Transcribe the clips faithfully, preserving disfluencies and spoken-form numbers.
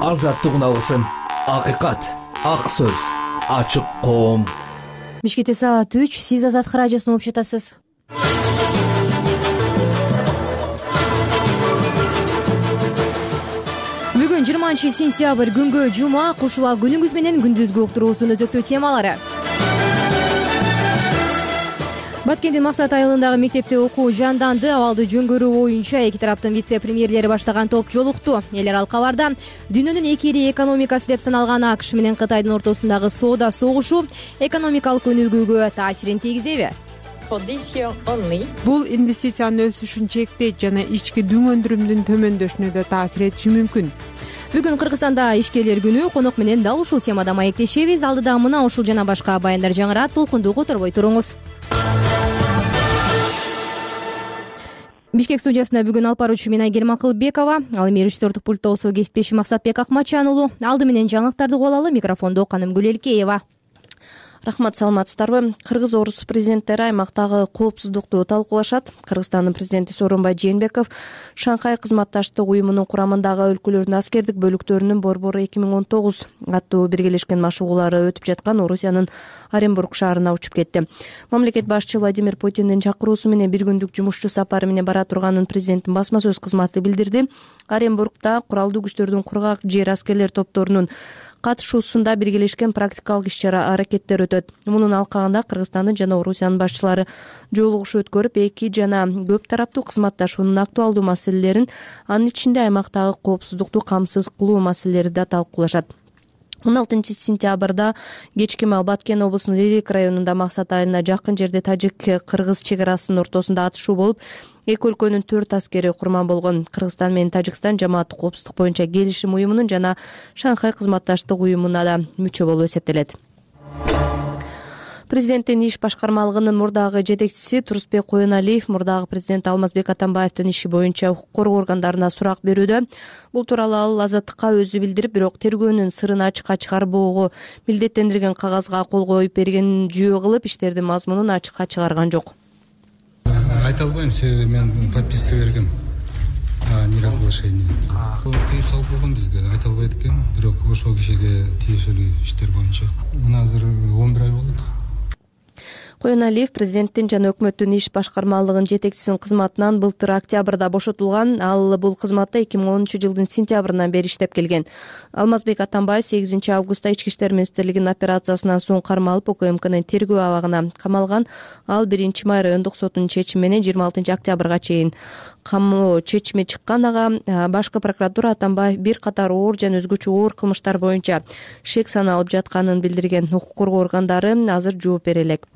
азаттыгын алгысың. Акыйкат, ак сөз, ачык коом. Бишкекте саат үч. Сиз Азаттык радиосун угуп жатасыз. Бүгүн жыйырманчы сентябрь күнгө жума. Куш уба күнүңүз менен күндүзгү уктуруусунун өзөктүү темалары. Баткендин Максат айылындагы мектепте окуу жанданды. Абалды жөнгөрүү боюнча эки тараптын вице-премьерлери баштаган топ жолукту. Эл аралык кабарда дүйнөнүн эки ири экономикасы деп саналган АКШ менен Кытайдын ортосундагы соода согушу экономикалык өнүгүүгө таасирин тийгизеби? Бул инвестициянын өсүшүн чектейт жана ички дүң өндүрүмдүн төмөндөшүнө да таасир этиши мүмкүн. Бүгүн Кыргызстанда ишкерлер күнү. Конок менен дал ушул темада маектешебиз. Алдыда мына ушул жана башка баяндар жаңырат. Толкунду которбой туруңуз. Бишкек студиясында бүгүн алып баруучу мен Айгерим Акылбекова, ал эми режиссердук пультта болсо кесиптешим Максатбек Акматжан уулу. Алды менен жаңылыктарды угуп алалы. Микрофондо Канымгүл Элкеева. Рахмат, саламатсыздарбы? Кыргыз орус президенттери аймактагы коопсуздукту талкуулашат. Кыргызстандын президенти Сооронбай Жээнбеков Шанхай кызматташтык уюмунун курамындагы өлкөлөрдүн аскердик бөлүктөрүнүн борбору эки миң он тогуз аттуу биргелешкен машыгуулары өтүп жаткан Орусиянын Оренбург шаарына учуп кетти. Мамлекет башчы Владимир Путиндин чакыруусу менен бир күндүк жумушчу сапары менен бара турганын президенттин басма сөз кызматы билдирди. Оренбургда куралдуу күчтөрдүн кургак жер аскерлер топторунун катышуусунда биргелешкен практикалык иш-чара аракеттер өтөт. Мунун алкагында Кыргызстандын жана Орусиянын башчылары жолугушуу өткөрүп, эки жана көп тараптуу кызматташуунун актуалдуу маселелерин, анын ичинде аймактагы коопсуздукту камсыз кылуу маселелери да талкуулашат. он алтынчы сентябрда кечки маал Баткен облусунун Лилик районунда Максат айылына жакын жерде тажик-кыргыз чек арасынын ортосунда атышуу болуп, эки өлкөнүн төрт аскери курман болгон. Кыргызстан менен Тажикстан жамааттык коопсуздук боюнча келишим уюмунун жана Шанхай кызматташтык уюмуна да мүчө болуп эсептелет. Президенттин иш башкармалыгынын мурдагы жетекчиси Турусбек Коеналиев мурдагы президент Алмазбек Атамбаевдин иши боюнча укук коргоо органдарына сурак берүүдө. Бул тууралуу ал Азаттыкка өзү билдирип, бирок тергөөнүн сырын ачыкка чыгарбоого милдеттендирген кагазга кол коюп бергенин жүйө кылып, иштердин мазмунун ачыкка чыгарган жок. Айта албайм, себеби мен подписка бергем. Неразглашение. Тыюу салып койгон бизге, айта албайт экен, бирок ошол кишиге тиешелүү иштер боюнча. Мына азыр он бир ай болот. Коеналиев президенттин жана өкмөттүн иш башкармалыгынын жетекчисинин кызматынан былтыр октябрда бошотулган. Ал бул кызматта эки миң онунчу жылдын сентябрынан бери иштеп келген. Алмазбек Атамбаев сегизинчи августта Ички иштер министрлигинин операциясынан соң кармалып, УКМКнын тергөө абагына камалган. Ал биринчи май райондук сотунун чечими менен жыйырма алтынчы октябрга чейин камоо чечими чыккан. Ага башкы прокуратура Атамбаев бир катар оор жана өзгөчө оор кылмыштар боюнча шек саналып жатканын билдирген. Укук коргоо органдары азыр жооп бере элек.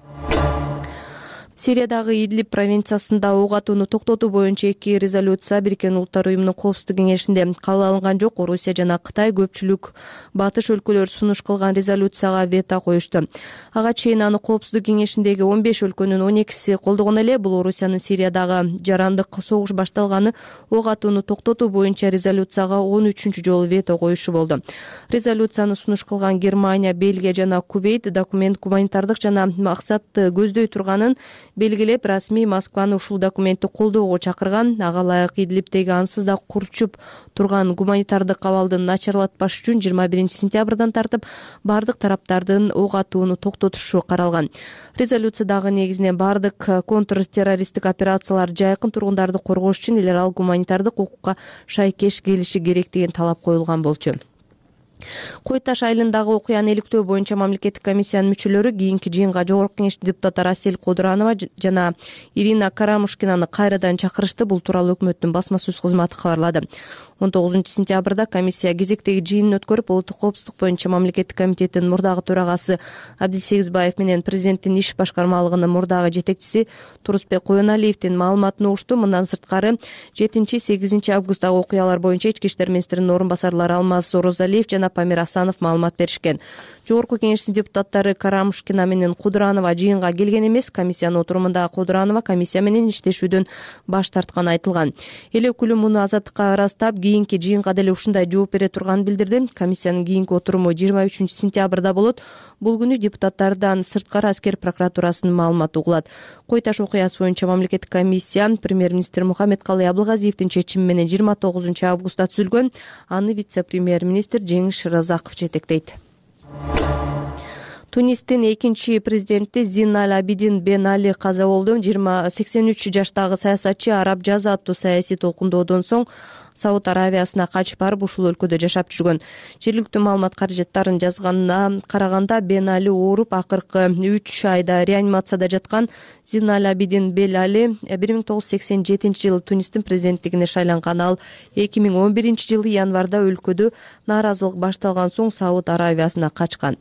Сириядагы Идлиб провинциясында ок атууну токтотуу боюнча эки резолюция Бириккен Улуттар уюмунун коопсуздук кеңешинде кабыл алынган жок. Орусия жана Кытай көпчүлүк батыш өлкөлөр сунуш кылган резолюцияга вето коюшту. Ага чейин аны коопсуздук кеңешиндеги он беш өлкөнүн он экиси колдогон эле. Бул Орусиянын Сириядагы жарандык согуш башталганы ок атууну токтотуу боюнча резолюцияга он үчүнчү жолу вето коюшу болду. Резолюцияны сунуш кылган Германия, Бельгия жана Кувейт документ гуманитардык жана максатты көздөй турганын белгилеп, расмий Москваны ушул документти колдоого чакырган. Ага ылайык Идлибтеги ансыз да курчуп турган гуманитардык абалды начарлатпаш үчүн жыйырма биринчи сентябрдан тартып бардык тараптардын ок атууну токтотушу каралган. Резолюциядагы негизинен бардык контртеррористтик операциялар жайкын тургундарды коргош үчүн эл аралык гуманитардык укукка шайкеш келиши керек деген талап коюлган болчу. Кой Таш айылындагы окуяны иликтөө боюнча мамлекеттик комиссиянын мүчөлөрү кийинки жыйынга Жогорку Кеңештин депутаттары Асель Кодуранова жана Ирина Карамушкинаны кайрадан чакырышты. Бул тууралуу өкмөттүн басма сөз кызматы кабарлады. он тогузунчу сентябрда комиссия кезектеги жыйынын өткөрүп, улуттук коопсуздук боюнча мамлекеттик комитеттин мурдагы төрагасы Абдилсегизбаев менен президенттин иш башкармалыгынын мурдагы жетекчиси Турусбек Коеналиевдин маалыматын угушту. Мындан сырткары жетинчи сегизинчи августтагы окуялар боюнча Ички иштер министринин орун басарлары Алмаз Орозалиев жана Памир Асанов маалымат беришкен. Жогорку Кеңештин депутаттары Карамушкина менен Кудуранова жыйынга келген эмес. Комиссиянын отурумунда Кудуранова комиссия менен иштешүүдөн баш тартканы айтылган. Эл өкүлү муну Азаттыкка ырастап, кийинки жыйынга деле ушундай жооп бере турганын билдирди. Комиссиянын кийинки отуруму жыйырма үчүнчү сентябрда болот. Бул күнү депутаттардан сырткары аскер прокуратурасынын маалыматы угулат. Кой Таш окуясы боюнча мамлекеттик комиссия премьер-министр Мухаммедкалый Абылгазиевдин чечими менен жыйырма тогузунчу августта түзүлгөн. Аны вице-премьер-министр Жеңиш Разаков жетектейт. Тунистин экинчи президенти Зин Аль-Абидин Бен Али каза болду. сексен үч жаштагы саясатчы араб жазы аттуу саясий толкундоодон соң Сауд Аравиясына качып барып ушул өлкөдө жашап жүргөн. Жергиликтүү маалымат каражаттарын жазганына караганда Бен Али ооруп акыркы үч айда реанимацияда жаткан. Зин Аль-Абидин Бен Али бир миң тогуз жүз сексен жетинчи жылы Тунистин президенттигине шайланган. Ал эки миң он биринчи жылы январда өлкөдө нааразылык башталган соң Сауд Аравиясына качкан.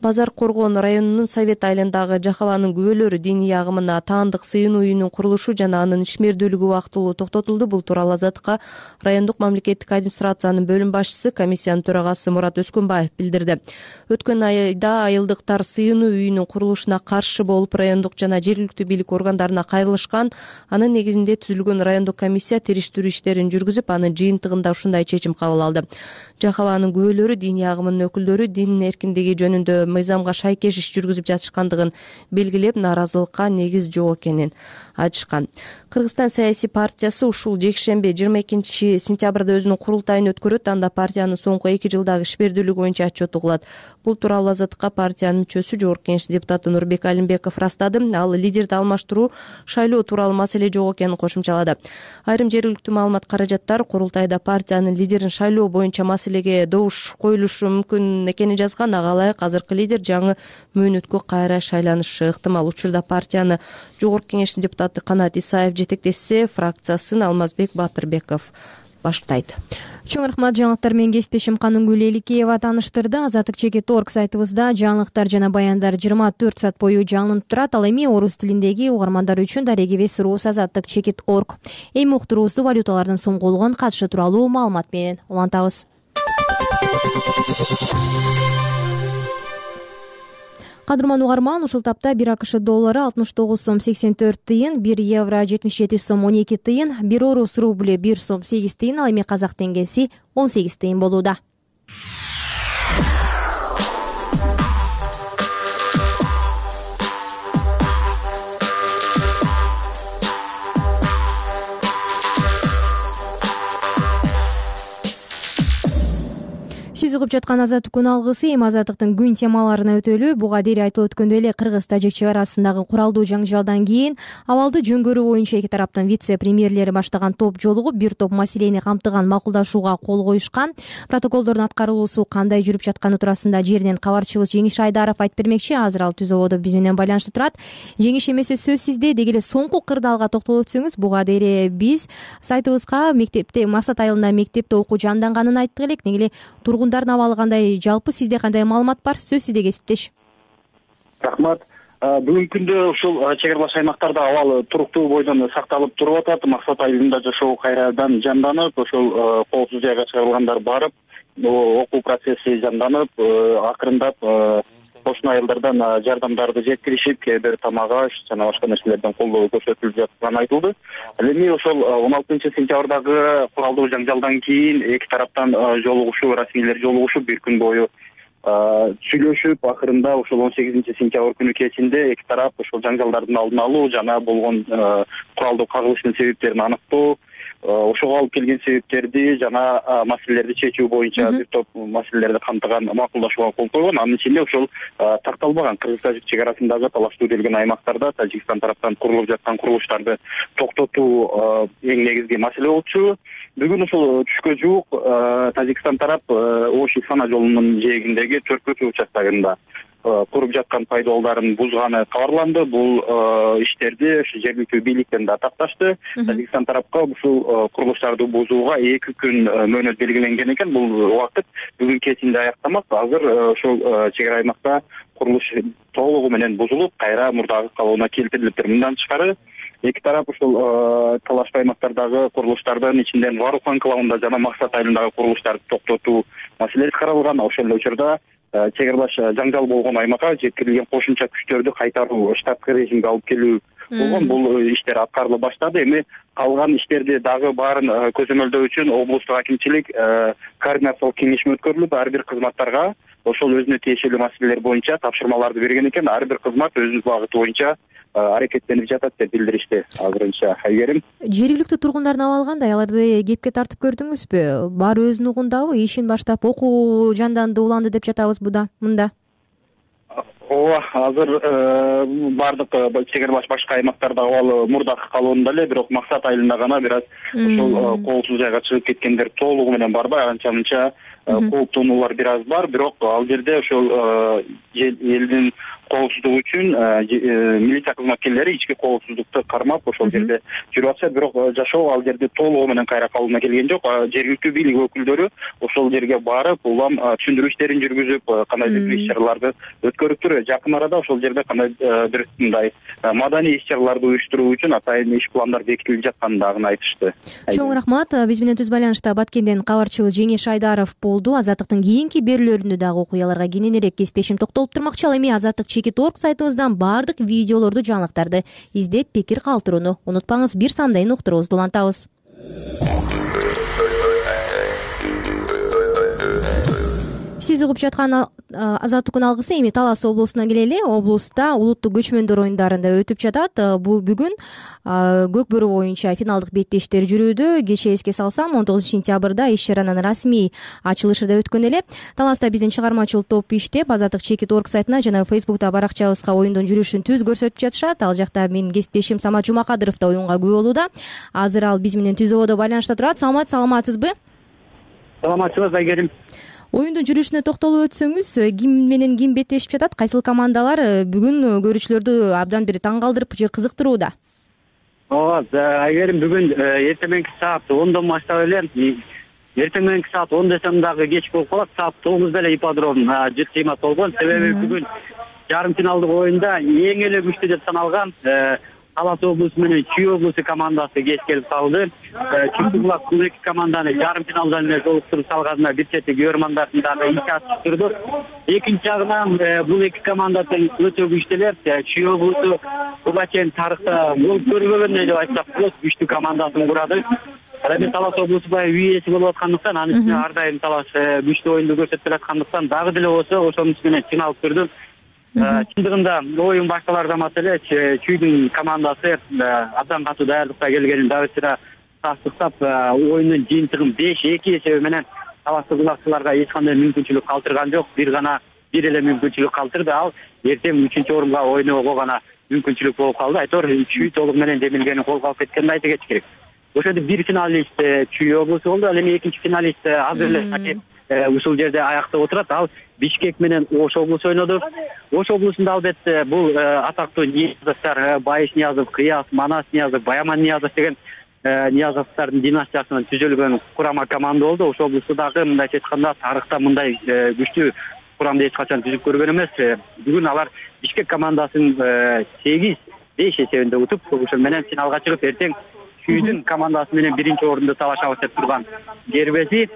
Базар Коргон районунун Совет айылындагы Жахаванын күбөлөрү диний агымына таандык сыйынуу үйүнүн курулушу жана анын ишмердүүлүгү убактылуу токтотулду. Бул тууралуу Азаттыкка райондук мамлекеттик администрациянын бөлүм башчысы, комиссиянын төрагасы Мурат Өскөнбаев билдирди. Өткөн айда айылдыктар сыйынуу үйүнүн курулушуна каршы болуп райондук жана жергиликтүү бийлик органдарына кайрылышкан. Анын негизинде түзүлгөн райондук комиссия териштирүү иштерин жүргүзүп, анын жыйынтыгында ушундай чечим кабыл алды. Жахаванын күбөлөрү диний агымынын өкүлдөрү дин эркиндиги жөнүндө мыйзамга шайкеш иш жүргүзүп жатышкандыгын белгилеп, нааразылыкка негиз жок экенин айтышкан. Кыргызстан саясий партиясы ушул жекшемби жыйырма экинчи сентябрда өзүнүн курултайын өткөрөт. Анда партиянын соңку эки жылдагы ишмердүүлүгү боюнча отчет угулат. Бул тууралуу Азаттыкка партиянын мүчөсү, Жогорку Кеңеш депутаты Нурбек Алимбеков ырастады. Ал лидерди алмаштыруу, шайлоо тууралуу маселе жок экенин кошумчалады. Айрым жергиликтүү маалымат каражаттар курултайда партиянын лидерин шайлоо боюнча маселеге добуш коюлушу мүмкүн экенин жазган. Ага ылайык азыркы лидер жаңы мөөнөткө кайра шайланышы ыктымал. Учурда партияны Жогорку Кеңештин депутаты Канат Исаев жетектесе, фракциясын Алмазбек Батырбеков баштайт. Чоң рахмат. Жаңылыктар менен кесиптешим Канунгүл Эликеева тааныштырды. Азаттык чекит точка орг сайтыбызда жаңылыктар жана баяндар жыйырма төрт саат бою жаңылып турат. Ал эми орус тилиндеги угармандар үчүн дарегебес рус азаттык чекит точка орг. Эми уктуруубузду валюталардын соңголгон катышы тууралуу маалымат менен улантабыз. Кадырман угарман, ушул тапта бир АКШ доллары алтымыш тогуз сом сексен төрт тыйын, бир евро жетимиш жети сом он эки тыйын, бир орус рубли бир сом сегиз тыйын, ал эми казак теңгеси он сегиз тыйын болууда. Сиз угуп жаткан Азаттык күн алгысы. Эми Азаттыктын күн темаларына өтөлү. Буга дейин айтылып өткөндөй эле Кыргыз Тажик чек арасындагы куралдуу жаңжалдан кийин абалды жөнгөрүү боюнча эки тараптын вице-премьерлери баштаган топ жолугуп, бир топ маселени камтыган макулдашууга кол коюшкан. Протоколдордун аткарылуусу кандай жүрүп жатканы туурасында жеринен кабарчыбыз Жеңиш Айдаров айтып бермекчи. Азыр ал түз ободо биз менен байланышта турат. Жеңиш, эмесе сөз сизде. Деги эле соңку кырдаалга токтолуп өтсөңүз. Буга дейин биз сайтыбызга мектепте Максат айылында мектепте окуу жанданганын айттык элек. Неге эле тургундардын абалы кандай, жалпы сизде кандай маалымат бар? Сөз сизде, кесиптеш. Рахмат. Бүгүнкү күндө ушул чек аралаш аймактарда абал туруктуу бойдон сакталып туруп атат. Максат айылында жашоо кайрадан жанданып, ошол коопсуз жайга чыгарылгандар барып, окуу процесси жанданып, акырындап кошуна айылдардан жардамдарды жеткиришип, кээ бир тамак аш жана башка нерселерден колдоо көрсөтүлүп жатканы айтылды. Ал эми ошол он алтынчы сентябрдагы куралдуу жаңжалдан кийин эки тараптан жолугушуу, расмийлер жолугушуп, бир күн бою сүйлөшүп, акырында ошол он сегизинчи сентябрь күнү кечинде эки тарап ошол жаңжалдардын алдын алуу жана болгон куралдуу кагылыштын себептерин аныктоо, ошого алып келген себептерди жана маселелерди чечүү боюнча бир топ маселелерди камтыган макулдашууга кол койгон. Анын ичинде ошол такталбаган Кыргыз-Тажик чек арасындагы талаштуу делген аймактарда Тажикстан тараптан курулуп жаткан курулуштарды токтотуу эң негизги маселе болчу. Бүгүн ошол түшкө жуук Тажикстан тарап Ош-Исфана жолунун жээгиндеги Төркөчү участогунда куруп жаткан пайдаларын бузганы кабарланды. Бул иштерди жергиликтүү бийликтен да такташты. Тажикстан тарапка ушул курулуштарды бузууга эки күн мөөнөт белгиленген экен. Бул убакыт бүгүн кечинде аяктамак. Азыр ошол чек ара аймакта курулуш толугу менен бузулуп, кайра мурдагы калыбына келтирилиптир. Мындан тышкары эки тарап ушул талаштуу аймактардагы курулуштардын ичинден Варух анклавында жана Максат айылындагы курулуштарды токтотуу маселеси каралган. Ошол эле учурда чек аралаш жаңжал болгон аймакка жеткирилген кошумча күчтөрдү кайтаруу, штаттык режимге алып келүү болгон. Бул иштер аткарыла баштады. Эми калган иштерди дагы баарын көзөмөлдөө үчүн облустук акимчилик координациялык кеңешме өткөрүлүп, ар бир кызматтарга ошол өзүнө тиешелүү маселелер боюнча тапшырмаларды берген экен. Ар бир кызмат өзүнүн багыты боюнча аракеттенип жатат деп билдиришти азырынча. Айгерим, жергиликтүү тургундардын абалы кандай? Аларды кепке тартып көрдүңүзбү? Баары өзүнүн угундабы? Ишин баштап окуу жанданды, уланды деп жатабыз буда мында. Ооба, азыр баардык чек ара баш башка аймактарда абалы мурдакы калуунда эле, бирок Максат айылында гана бир аз ошол коопсуз жайга чыгып кеткендер толугу менен барбай, анча мынча кооптонуулар бир аз бар. Бирок ал жерде ошол элдин коопсуздугу үчүн милиция кызматкерлери ички коопсуздукту кармап ошол жерде жүрүп атышат. Бирок жашоо ал жерде толугу менен кайра калыбына келген жок. Жергиликтүү бийлик өкүлдөрү ошол жерге барып, улам түшүндүрүү иштерин жүргүзүп, кандайдыр бир иш чараларды өткөрүптүр. Жакын арада ошол жерде кандайдыр бир мындай маданий иш чараларды уюштуруу үчүн атайын иш пландар бекитилип жатканын дагы айтышты. Чоң рахмат. Биз менен түз байланышта Баткенден кабарчыбыз Жеңиш Айдаров болду. Азаттыктын кийинки берүүлөрүндө дагы окуяларга кененирээк кесиптешим токтолуп турмакчы. Ал эми азаттык чекит точка орг сайтыбыздан баардык видеолорду, жаңылыктарды издеп, пикир калтырууну унутпаңыз. Бир самдайын уктуруубузду улантабыз. Сиз угуп жаткан азаттыктын алгысы эми Талас облусуна келели. Облуста улуттук көчмөндөр оюндарында өтүп жатат. Бул бүгүн көк бөрү боюнча финалдык беттештер жүрүүдө. Кечээ эске салсам, он тогузунчу сентябрда иш чаранын расмий ачылышы да өткөн эле. Таласта биздин чыгармачыл топ иштеп, азаттык чекит точка орг сайтына жана Фейсбукта баракчабызга оюндун жүрүшүн түз көрсөтүп жатышат. Ал жакта менин кесиптешим Самат Жумакадыров да оюнга күбө болууда. Азыр ал биз менен түз ободо байланышта турат. Самат, саламатсызбы? Саламатсызбы, Айгерим. Оюндун жүрүшүнө токтолуп өтсөңүз, ким менен ким беттешип жатат? Кайсыл командалар бүгүн көрүүчүлөрдү абдан бир таң калтырып же кызыктырууда? Ооба, Айгерим, бүгүн эртең мененки саат ондон баштап эле, эртең мененки саат он десем дагы кеч болуп калат, саат тогузда эле ипподром жүз кыймат болгон. Себеби бүгүн жарым финалдык оюнда эң эле күчтүү деп саналган Талас облусу менен Чүй облусу командасы кеч келип калды. Чүктү булак бул эки команданы жарым финалдан эле жолуктуруп салганына бир чети көрөрмандардын дагы ичи ачып турду. Экинчи жагынан бул эки команда тең өтө күчтүү эле. Чүй облусу буга чейин тарыхта болуп көрбөгөндөй деп айтсак болот, күчтүү командасын курады. Эми Талас облусу баягы үй ээси болуп аткандыктан, анын үстүнө ар дайым Талас күчтүү оюнду көрсөтүп келаткандыктан дагы деле болсо ошонун үстүнө чыңалып турду. Чындыгында оюн башталардан эле Чүйдүн командасы абдан катуу даярдыкта келгенин дагы сыра тастыктап, оюндун жыйынтыгын беш эки эсеби менен таластык булакчыларга эч кандай мүмкүнчүлүк калтырган жок. Бир гана бир эле мүмкүнчүлүк калтырды. Ал эртең үчүнчү орунга ойноого гана мүмкүнчүлүк болуп калды. Айтор Чүй толук менен демилгени колго алып кеткенин айта кетиш керек. Ошондо бир финалист Чүй облусу болду. Ал эми экинчи финалист азыр эле ушул жерде аяктап отурат. Ал Бишкек менен Ош облусу ойноду. Ош облусунда албетте бул атактуу Ниязовдор, Байыш Ниязов, Кыяз, Манас Ниязов, Баяман Ниязов деген Ниязовдордун династиясынан түзүлгөн курама команда болду. Ош облусу дагы мындайча айтканда тарыхта мындай күчтүү курамды эч качан түзүп көргөн эмес. Бүгүн алар Бишкек командасын сегиз беш эсебинде утуп, ошол менен финалга чыгып, эртең Чүйдүн командасы менен биринчи орунду талашабыз деп турган Гербези.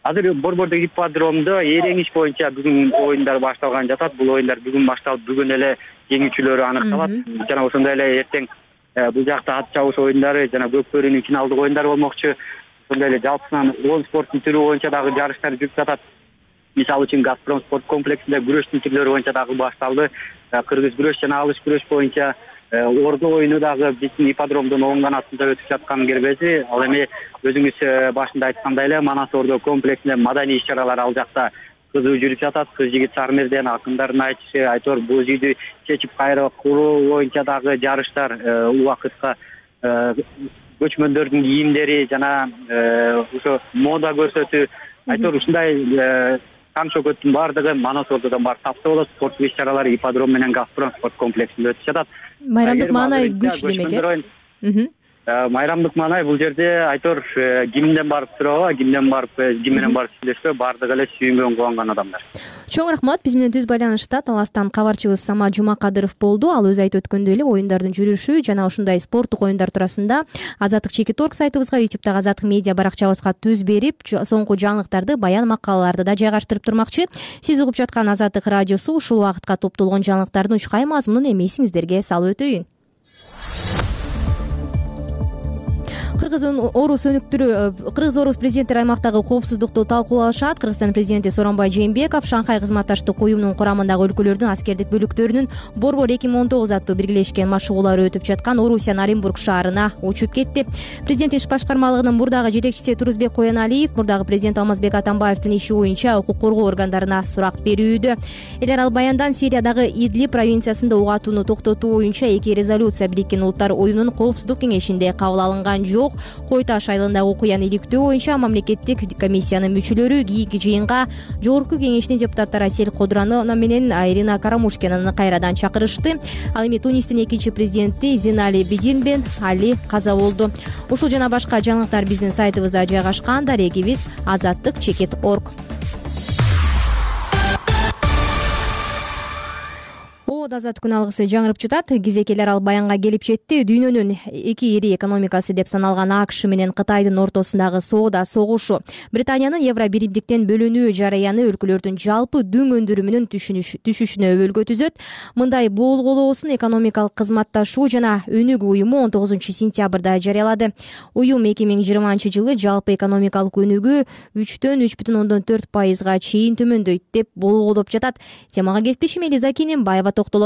Азыр Борбордук ипподромдо эрең иш боюнча бүгүн оюндар башталган жатат. Бул оюндар бүгүн башталып, бүгүн эле жеңүүчүлөрү аныкталат. Жана ошондой эле эртең бул жакта ат чабыш оюндары жана көк бөрүнүн финалдык оюндары болмокчу. Ошондой эле жалпысынан он спорттун түрү боюнча дагы жарыштар жүрүп жатат. Мисалы үчүн Газпром спорт комплексинде күрөштүн түрлөрү боюнча дагы башталды. Кыргыз күрөш жана алыш күрөш боюнча ордо оюну дагы биздин ипподромдун оң канатында өтүп жаткан Гербези. Ал эми өзүңүз башында айткандай эле Манас ордо комплексинде маданий иш чаралар ал жакта кызуу жүрүп жатат. Кыз жигит Сармерден акындардын айтышы, айтор боз үйдү чечип кайра куруу боюнча дагы жарыштар, убакытка көчмөндөрдүн кийимдери жана ошо мода көрсөтүү, айтор ушундай таң шөкөттүн баардыгы Манас ордодон барып тапса болот. Спорттук иш чаралар ипподром менен Газпром спорт комплексинде өтүп жатат. Майрамдык маанай күчтүү демек э? Майрамдык маанай бул жерде айтор кимден барып сурабы, кимден барып, ким менен барып сүйлөшпө, баардыгы эле сүйүнгөн, кубанган адамдар. Чоң рахмат. Биз менен түз байланышта Таластан кабарчыбыз Самат Жумакадыров болду. Ал өзү айтып өткөндөй эле оюндардын жүрүшү жана ушундай спорттук оюндар туурасында азаттык чекит точка орг сайтыбызга, ютубтагы азаттык медиа баракчабызга түз берип, соңку жаңылыктарды, баян макалаларды да жайгаштырып турмакчы. Сиз угуп жаткан Азаттык радиосу ушул убакытка топтолгон жаңылыктардын учкай мазмунун эми эсиңиздерге салып өтөйүн. кыргыз орус өнүктүрүү кыргыз орус президенттери аймактагы коопсуздукту талкуулашат. Кыргызстан президенти Сооронбай Жээнбеков Шанхай кызматташтык уюмунун курамындагы өлкөлөрдүн аскердик бөлүктөрүнүн Борбор эки миң он тогуз аттуу биргелешкен машыгуулары өтүп жаткан Орусиянын Оренбург шаарына учуп кетти. Президент иш башкармалыгынын мурдагы жетекчиси Турузбек Коеналиев мурдагы президент Алмазбек Атамбаевдин иши боюнча укук коргоо органдарына сурак берүүдө. Элер ал баяндан Сириядагы Идлиб провинциясында ук атууну токтотуу боюнча эки резолюция Бириккен Улуттар уюмунун коопсуздук кеңешинде кабыл алынган жок. Кой Таш айылындагы окуяны иликтөө боюнча мамлекеттик комиссиянын мүчөлөрү кийинки жыйынга жогорку кеңештин депутаттары Асель Кодранова менен Ирина Карамушкинаны кайрадан чакырышты. Ал эми Тунистин экинчи президенти Зинали Бидин бен Али каза болду. Ушул жана башка жаңылыктар биздин сайтыбызда жайгашкан. Дарегибиз азаттык чекит точка орг. Азат күн алгысы жаңырып жатат. Кезекелер ал баянга келип жетти. Дүйнөнүн эки ири экономикасы деп саналган АКШ менен Кытайдын ортосундагы соода согушу, Британиянын евро биримдиктен бөлүнүү жараяны өлкөлөрдүн жалпы дүң өндүрүмүнүн түшүшүнө өбөлгө түзөт. Мындай болголоосун экономикалык кызматташуу жана өнүгүү уюму он тогузунчу сентябрда жарыялады. Уюм эки миң жыйырманчы жылы жалпы экономикалык өнүгүү үчтөн үч бүтүн ондон төрт пайызга чейин төмөндөйт деп болгоолоп жатат. Темага кесиптешим Элиза Кененбаева токтолот.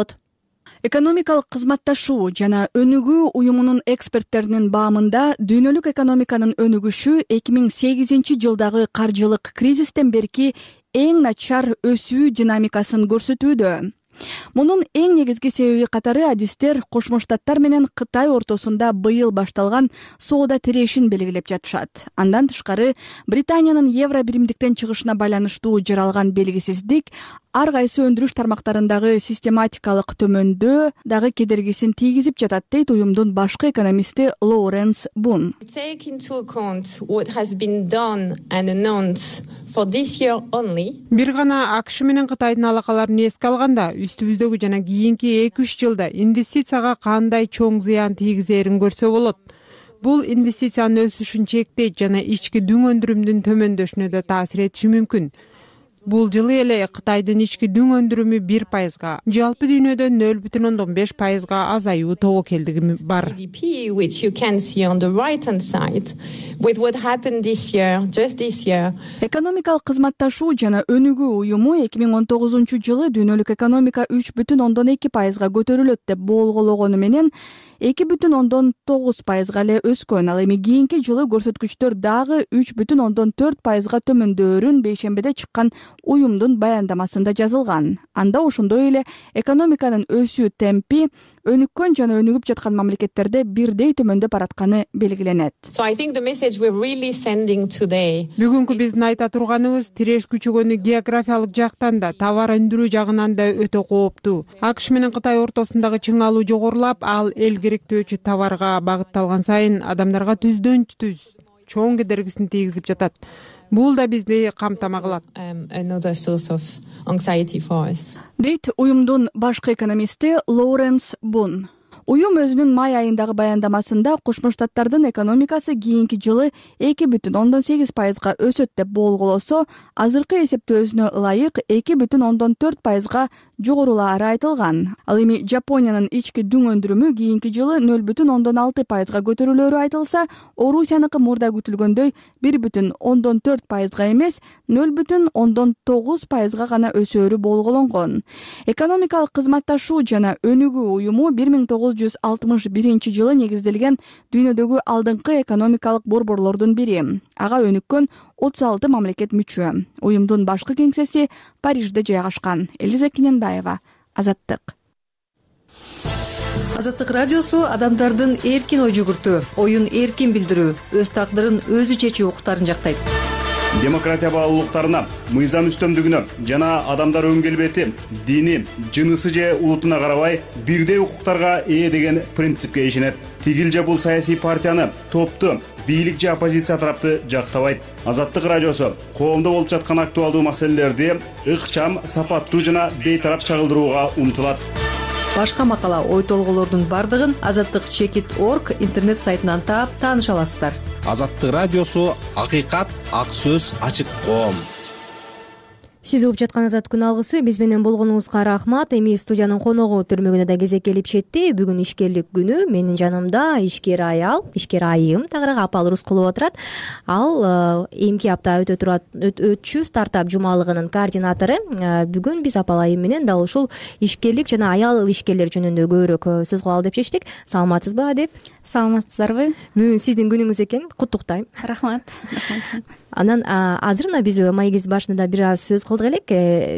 Экономикалык кызматташуу жана өнүгүү уюмунун эксперттеринин баамында дүйнөлүк экономиканын өнүгүшү эки миң сегизинчи жылдагы каржылык кризистен берки эң начар өсүү динамикасын көрсөтүүдө. Мунун эң негизги себеби катары адистер Кошмо Штаттар менен Кытай ортосунда быйыл башталган соода тирешин белгилеп жатышат. Андан тышкары Британиянын евро биримдиктен чыгышына байланыштуу жаралган белгисиздик ар кайсы өндүрүш тармактарындагы систематикалык төмөндөө дагы кедергисин тийгизип жатат, дейт уюмдун башкы экономисти Лоуренс Бун. Бир гана АКШ менен Кытайдын алакаларын эске алганда, үстүбүздөгү жана кийинки эки үч жылда инвестицияга кандай чоң зыян тийгизерин көрсө болот. Бул инвестициянын өсүшүн чектейт жана ички дүң өндүрүмдүн төмөндөшүнө да таасир этиши мүмкүн. Бул жылы эле Кытайдын ички дүң өндүрүмү бир пайызга, жалпы дүйнөдө нөл бүтүн ондон беш пайызга азаюу тобокелдиги бар. Экономикалык кызматташуу жана өнүгүү уюму эки миң он тогузунчу жылы дүйнөлүк экономика үч бүтүн ондон эки пайызга көтөрүлөт деп болгологону менен эки бүтүн ондон тогуз пайызга эле өскөн. Ал эми кийинки жылы көрсөткүчтөр дагы үч бүтүн ондон төрт пайызга төмөндөөрүн бейшембиде чыккан уюмдун баяндамасында жазылган. Анда ошондой эле экономиканын өсүү темпи өнүккөн жана өнүгүп жаткан мамлекеттерде бирдей төмөндөп баратканы белгиленет. Бүгүнкү биздин айта турганыбыз тиреш күчөгөнү географиялык жактан да, товар өндүрүү жагынан да өтө кооптуу. АКШ менен Кытай ортосундагы чыңалуу жогорулап, ал эл керектөөчү товарга багытталган сайын адамдарга түздөн түз чоң кедергисин тийгизип жатат. Бул да бизди камтама кылат. Дейт уюмдун башкы экономисти Лоуренс Бун. Уюм өзүнүн май айындагы баяндамасында Кошмо Штаттардын экономикасы кийинки жылы эки бүтүн ондон сегиз пайызга өсөт деп болголосо, азыркы эсептөөсүнө ылайык эки бүтүн ондон төрт пайызга жогорулаары айтылган. Ал эми Жапониянын ички дүң өндүрүмү кийинки жылы нөл бүтүн ондон алты пайызга көтөрүлөөрү айтылса, Орусияныкы мурда күтүлгөндөй бир бүтүн ондон төрт пайызга эмес, нөл бүтүн ондон тогуз пайызга гана өсөөрү болголонгон. Экономикалык кызматташуу жана өнүгүү уюму бир миң тогуз жүз алтымыш биринчи жылы негизделген дүйнөдөгү алдыңкы экономикалык борборлордун бири. Ага өнүккөн отуз алты мамлекет мүчө. Уюмдун башкы кеңсеси Парижде жайгашкан. Элиза Кененбаева, Азаттык. Азаттык радиосу адамдардын эркин ой жүгүртүү, оюн эркин билдирүү, өз тагдырын өзү чечүү укуктарын жактайт. Демократия баалуулуктарына, мыйзам үстөмдүгүнө жана адамдар өн келбети, дини, жынысы же улутуна карабай бирдей укуктарга ээ деген принципке ишенет. Тигил же бул саясий партияны, топту, бийлик же оппозиция тарапты жактабайт. Азаттык радиосу коомдо болуп жаткан актуалдуу маселелерди ыкчам, сапаттуу жана бейтарап чагылдырууга умтулат. Башка макала, ой толголордун бардыгын азаттык чекит точка орг интернет сайтынан таап тааныша аласыздар. Азаттык радиосу акыйкат, ак сөз, ачык коом. сиз угуп жатканыңыз күн алгысы. Биз менен болгонуңузга рахмат. Эми студиянын коногу төрмөгүнө да кезек келип жетти. Бүгүн ишкерлик күнү. Менин жанымда ишкер аял, ишкер айым тагыраак Апал Рускулова отурат. Ал эмки апта өтө турат өтчү стартап жумалыгынын координатору. Бүгүн биз Апал айым менен дал ушул ишкерлик жана аял ишкерлер жөнүндө көбүрөөк сөз кылалы деп чечтик. Саламатсызбы Адеп? Саламатсыздарбы? Бүгүн сиздин күнүңүз экен. Куттуктайм. Рахмат. Анан азыр мына биз маегибиз башында бир аз сөз кылдык элек.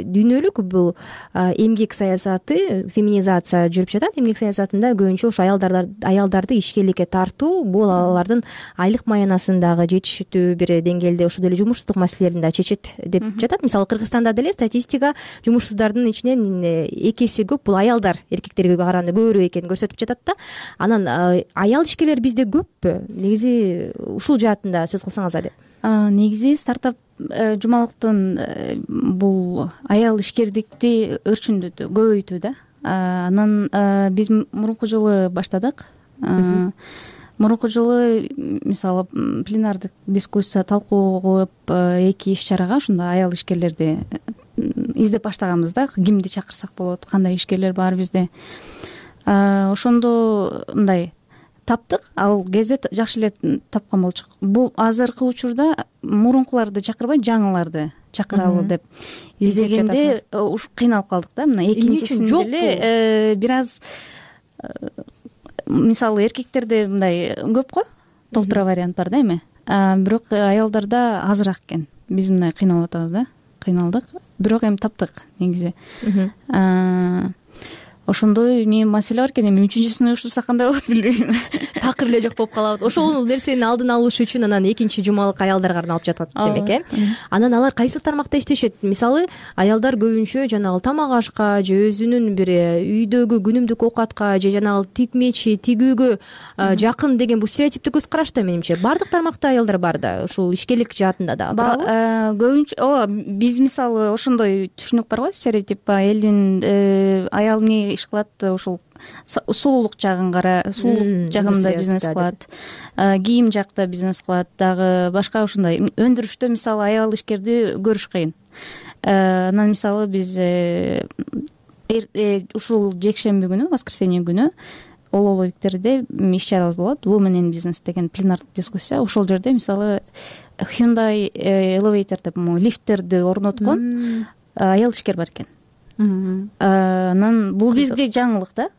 Дүйнөлүк бул эмгек саясаты, феминизация жүрүп жатат. Эмгек саясатында көбүнчө ушу аялдар аялдарды ишкерликке тартуу, бул алардын айлык маянасын дагы жетиштүү бир деңгээлде, ошол эле жумушсуздук маселелерин да чечет деп жатат. Мисалы Кыргызстанда деле статистика жумушсуздардын ичинен эки эсе көп бул аялдар эркектерге караганда көбүрөөк экенин көрсөтүп жатат да. Анан аял ишкерлер бизде көппү? Негизи ушул жаатында сөз кылсаңыз Адеп. Негизи стартап жумалыктын бул аял ишкердикти өрчүндөтүү, көбөйтүү да. Анан биз мурунку жылы баштадык. Мурунку жылы мисалы пленардык дискуссия, талкуу кылып эки иш чарага ушундай аял ишкерлерди издеп баштаганбыз да. Кимди чакырсак болот, кандай ишкерлер бар бизде. Ошондо мындай таптык. Ал кезде жакшы эле тапкан болчук. Бул азыркы учурда мурункуларды чакырбай жаңыларды чакыралы деп издегенде уш кыйналып калдык да. Мына экинчисинде эле бир аз мисалы эркектерде мындай көп го, толтура вариант бар да эми. Бирок аялдарда азыраак экен. Биз мындай кыйналып атабыз да. Кыйналдык. Бирок эми таптык негизи. Ошондой эми маселе бар экен. Эми үчүнчүсүнө ушурсак кандай болот билбейм. Такыр эле жок болуп калабы. Ошол нерсени алдын алыш үчүн анан экинчи жумалык аялдарга арналып жатат демек э. Анан алар кайсы тармакта иштешет? Мисалы аялдар көбүнчө жанагы тамак ашка же өзүнүн бир үйдөгү күнүмдүк оокатка же жанагы тикмечи, тигүүгө жакын деген бул стереотиптик көз караш да менимче. Бардык тармакта аялдар бар да, ушул ишкерлик жаатында да. Көбүнчө ооба биз мисалы ошондой түшүнүк бар го, стереотип. Элдин аял эмне иш кылат, ушул сулуулук жагын кара, сулуулук жагында бизнес кылат, кийим жакта бизнес кылат, дагы башка ушундай. Өндүрүштө мисалы аял ишкерди көрүш кыйын. Анан мисалы биз ушул жекшемби күнү, воскресенье күнү Ололовиктерде иш чарабыз болот. Women in Business деген пленардык дискуссия. Ошол жерде мисалы Hyundai Elevator деп лифттерди орноткон аял ишкер бар экен. Анан бул бизге жаңылык да.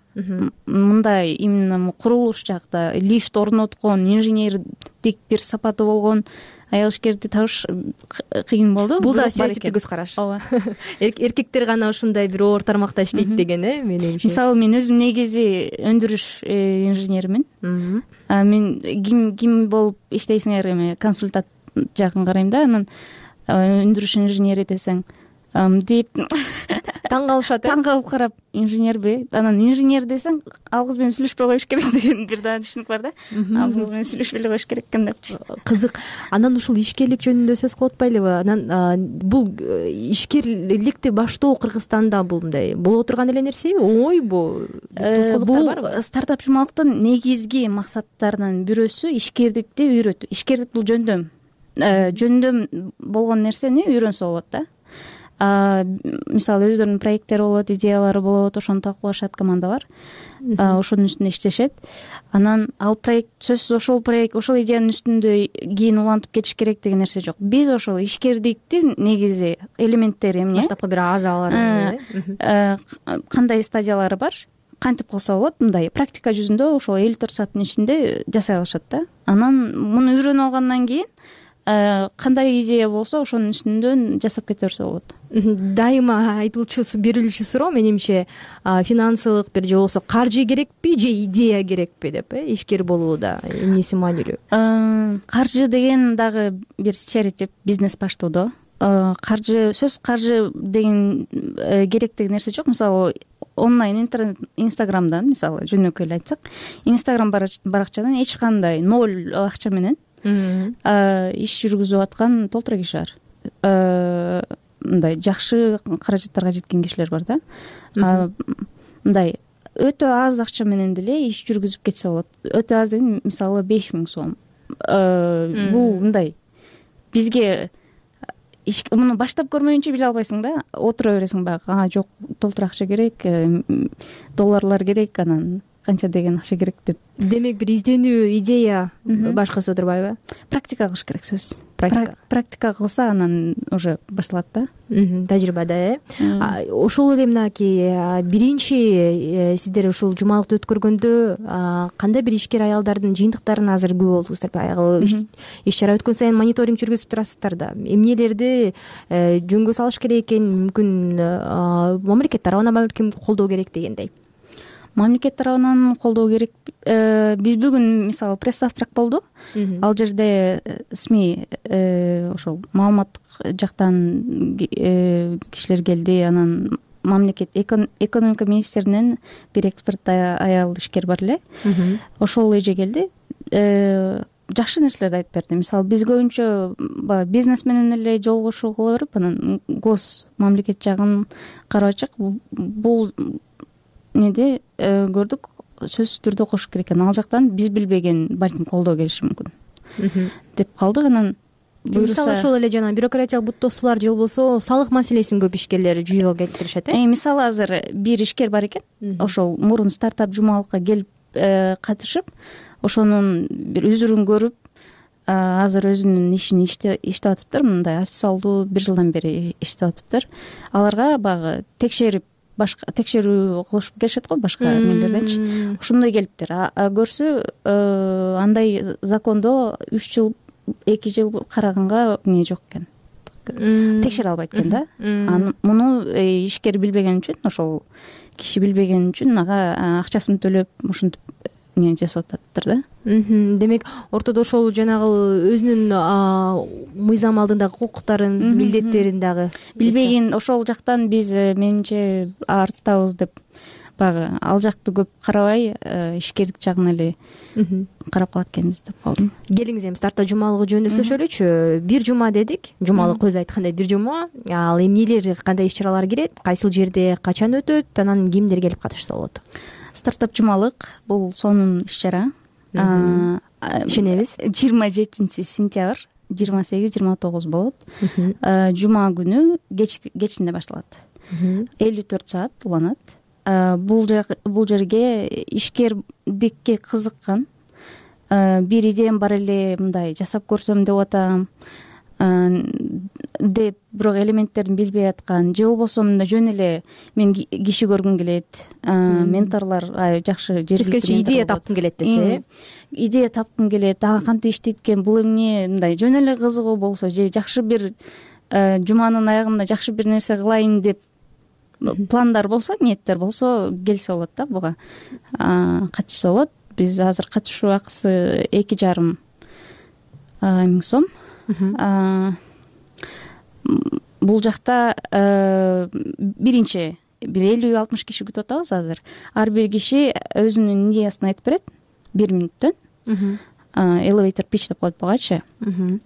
Мындай именно курулуш жакта лифт орноткон, инженердик бир сапаты болгон аял ишкерди табыш кыйын болду. Бул да стереотиптик көз караш. Ооба. Эркектер гана ушундай бир оор тармакта иштейт деген э, менимче. Мисалы мен өзүм негизи өндүрүш инженеримин. Мен ким ким болуп иштейсиңер, эми консультант жагын карайм да. Анан өндүрүш инженери десең деп таң калышат. Таң калып карап, инженерби? Анан инженер десең, ал кыз менен сүйлөшпөй коюш керек деген бир дагы түшүнүк бар да. Ал кыз менен сүйлөшпөй эле коюш керек экен депчи. Кызык. Анан ушул ишкерлик жөнүндө сөз кылып атпайлыбы? Анан бул ишкерликти баштоо Кыргызстанда бул мындай боло турган эле нерсеби? Оңойбу? Тоскоолдуктар барбы? Стартап жумалыктын негизги максаттарынын бирөөсү ишкердикти үйрөтүү. Ишкердик бул жөндөм. Жөндөм болгон нерсени үйрөнсө болот да. Мисалы өздөрүнүн проекттери болот, идеялары болот, ошону талкуулашат командалар. Ошонун үстүндө иштешет. Анан ал проект сөзсүз ошол проект, ошол идеянын үстүндө кийин улантып кетиш керек деген нерсе жок. Биз ошол ишкердиктин негизи элементтери эмне? Баштапкы бир азалары, кандай стадиялары бар? Кантип кылса болот? Мындай практика жүзүндө ошол элүү төрт сааттын ичинде жасай алышат да. Анан муну үйрөнүп алгандан кийин кандай идея болсо ошонун үстүндөн жасап кете берсе болот. Дайыма айтылчу берилчү суроо менимче финансылык бир же болбосо каржы керекпи же идея керекпи деп э, ишкер болууда эмнеси маанилүү? Каржы деген дагы бир стереотип бизнес баштоодо. Каржы сөз каржы деген керек деген нерсе жок. Мисалы онлайн интернет инстаграмдан мисалы жөнөкөй эле айтсак, инстаграм баракчадан эч кандай ноль акча менен иш жүргүзүп аткан толтура киши бар. Мындай жакшы каражаттарга жеткен кишилер бар да. Мындай өтө аз акча менен деле иш жүргүзүп кетсе болот. Өтө аз деген мисалы беш миң сом. Бул мындай бизге муну баштап көрмөйүнчө биле албайсың да, отура бересиң баягы, а жок толтура акча керек, долларлар керек, анан канча деген акча керек деп. Демек бир изденүү, идея башкысы отурбайбы? Практика кылыш керек, сөзсүз. Практика практика кылса анан уже башталат да. Тажрыйбада э. Ошол эле мынакей биринчи сиздер ушул жумалыкты өткөргөндө кандай бир ишкер аялдардын жыйынтыктарын азыр күбө болдуңуздар? Баягы иш чара өткөн сайын мониторинг жүргүзүп турасыздар да. Эмнелерди жөнгө салыш керек экен, мүмкүн мамлекет тарабынан балким колдоо керек дегендей. Мамлекет тарабынан колдоо керек. Биз бүгүн мисалы пресс-завтрак болду. Ал жерде СМИ ошол маалыматтык жактан кишилер келди. Анан мамлекет экономика министринен бир эксперт аял ишкер бар эле. Ошол эже келди. Жакшы нерселерди айтып берди. Мисалы биз көбүнчө баягы бизнес менен эле жолугушуу кыла берип, анан гос мамлекет жагын карабачак. Бул неде көрдүк, сөзсүз түрдө кошуш керек экен. Ал жактан биз билбеген балким колдоо келиши мүмкүн деп калдык. Анан мисалы ошол эле жана бюрократиялык буттоосулар же болбосо салык маселесин көп ишкерлер жүйөгө келтиришет э. Мисалы азыр бир ишкер бар экен, ошол мурун стартап жумалыкка келип катышып, ошонун бир үзүрүн көрүп, азыр өзүнүн ишин иштеп атыптыр. Мындай официалдуу бир жылдан бери иштеп атыптыр. Аларга баягы текшерип, башка текшерүү кылышып келишет го башка эмелерденчи. Ошондой келиптир. Көрсө андай закондо үч жыл, эки жыл караганга эмне жок экен. Текшере албайт экен да. Муну ишкер билбеген үчүн, ошол киши билбеген үчүн ага акчасын төлөп ушинтип эмне жасап атыптыр да. Демек ортодо ошол жанагы өзүнүн мыйзам алдындагы укуктарын, милдеттерин дагы билбеген. Ошол жактан биз менимче арттабыз деп баягы ал жакты көп карабай, ишкердик жагын эле карап калат экенбиз деп калдым. Келиңиз эми старта жумалыгы жөнүндө сүйлөшөлүчү. Бир жума дедик. Жумалык көз айткандай бир жума. Ал эмнелер, кандай иш чаралар кирет, кайсыл жерде, качан өтөт, анан кимдер келип катышса болот? Стартап жумалык бул сонун иш чара. Ишенебиз. жыйырма жетинчи сентябрь жыйырма сегиз жыйырма тогуз болот. Жума күнү кечинде башталат. элүү төрт саат уланат. Бул бул жерге ишкердикке кызыккан, бир идеям бар эле, мындай жасап көрсөм деп атам деп бирок элементтерин билбей аткан, же болбосо мындай жөн эле мен киши көргүм келет, менторлор жакшы жергиликтүү идея тапкым келет десе, идея тапкым келет, ага кантип иштейт экен, бул эмне, мындай жөн эле кызыгуу болсо, же жакшы бир жуманын аягында жакшы бир нерсе кылайын деп пландар болсо, ниеттер болсо, келсе болот да буга, катышса болот. Биз азыр катышуу акысы эки жарым миң сом. Бул жакта биринчи бир элүү алтымыш киши күтүп атабыз азыр. Ар бир киши өзүнүн идеясын айтып берет бир мүнөттөн. Elevator pitch деп коет бугачы.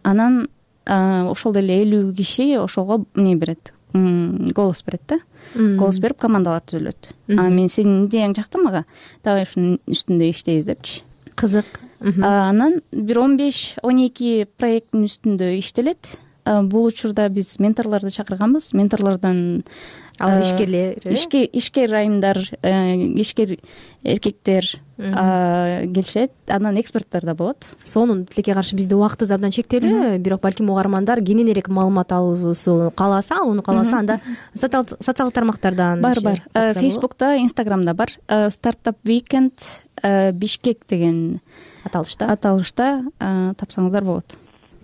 Анан ошол эле элүү киши ошого эмне берет, голос берет да. Голос берип командалар түзүлөт. Мен сенин идеяң жакты мага, давай ушунун үстүндө иштейбиз депчи. Кызык. Анан бир он беш он эки проекттин үстүндө иштелет. Бул учурда биз менторлорду чакырганбыз. Менторлордон алар ишкерлер, ишкер айымдар, ишкер эркектер келишет. Анан эксперттер да болот. Сонун тилекке каршы бизде убактыбыз абдан чектелүү, бирок балким угармандар кененирээк маалымат алуусу кааласа, алууну кааласа, анда социалдык тармактардан бар бар. Facebook'та, Instagram'да бар. Startup Weekend Бишкек деген аталышта аталышта тапсаңыздар болот.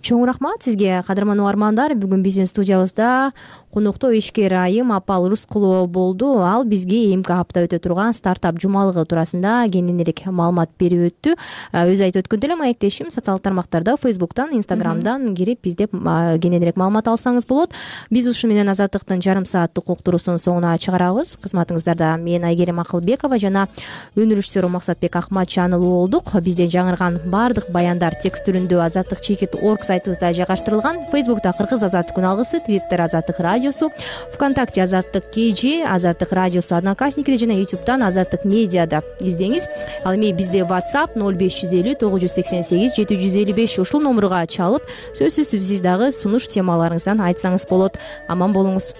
Чоң рахмат сизге, кадырман угармандар. Бүгүн биздин студиябызда конокто ишкер айым Апал Рыскулова болду. Ал бизге эмки апта өтө турган стартап жумалыгы туурасында кененирээк маалымат берип өттү. Өзү айтып өткөндөй эле маектешим социалдык тармактарда, Facebook'тан, Instagram'дан кирип биздеп кененирээк маалымат алсаңыз болот. Биз ушу менен Азаттыктын жарым сааттык уктуруусунун соңуна чыгарабыз. Кызматыңыздарда мен Айгерим Акылбекова жана өнүрүшчүсү Максатбек Акматчанылуу болдук. Бизден жаңырган баардык баяндар текст түрүндө азаттык чекит точка орг сайтыбызда жайгаштырылган. Фейсбукта Кыргыз Азаттык күн алгысы, Твиттер Азаттык радиосу, ВКонтакте Азаттык кж, Азаттык радиосу Одноклассниктер жана Ютубтан Азаттык медиада издеңиз. Ал эми бизде WhatsApp ноль беш жүз элүү тогуз жүз сексен сегиз жети жүз элүү беш ушул номурга чалып, сөзсүз сиз дагы сунуш темаларыңыздан айтсаңыз болот. Аман болуңуз.